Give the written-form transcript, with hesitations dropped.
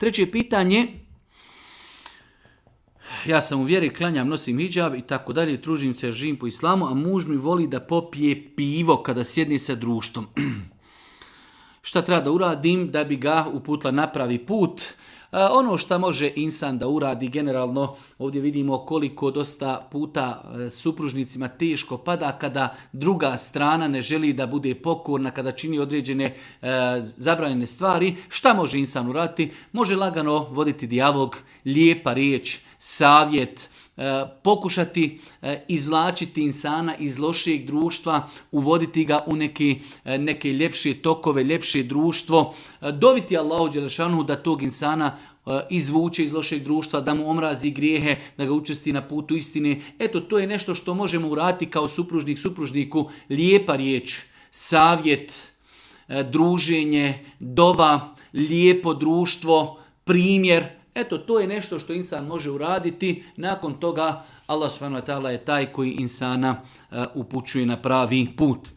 Treće pitanje, ja sam u vjeri, klanjam, nosim hidžab i tako dalje, tružim se, živim po islamu, a muž mi voli da popije pivo kada sjedni sa društvom. Šta treba da uradim da bi ga uputila na pravi put? Ono što može insan da uradi generalno, ovdje vidimo koliko dosta puta supružnicima teško pada kada druga strana ne želi da bude pokorna, kada čini određene zabranjene stvari. Šta može insan uraditi? Može lagano voditi dijalog, lijepa riječ, savjet, pokušati izvlačiti insana iz lošijeg društva, uvoditi ga u neke ljepše tokove, ljepše društvo, doviti Allahu dželešanu da tog insana izvuče iz lošeg društva, da mu omrazi grijehe, da ga učesti na putu istine. Eto, to je nešto što možemo uraditi kao supružnik supružniku, lijepa riječ, savjet, druženje, dova, lijepo društvo, primjer. Eto, to je nešto što insan može uraditi. Nakon toga Allah subhanahu wa ta'ala je taj koji insana upućuje na pravi put.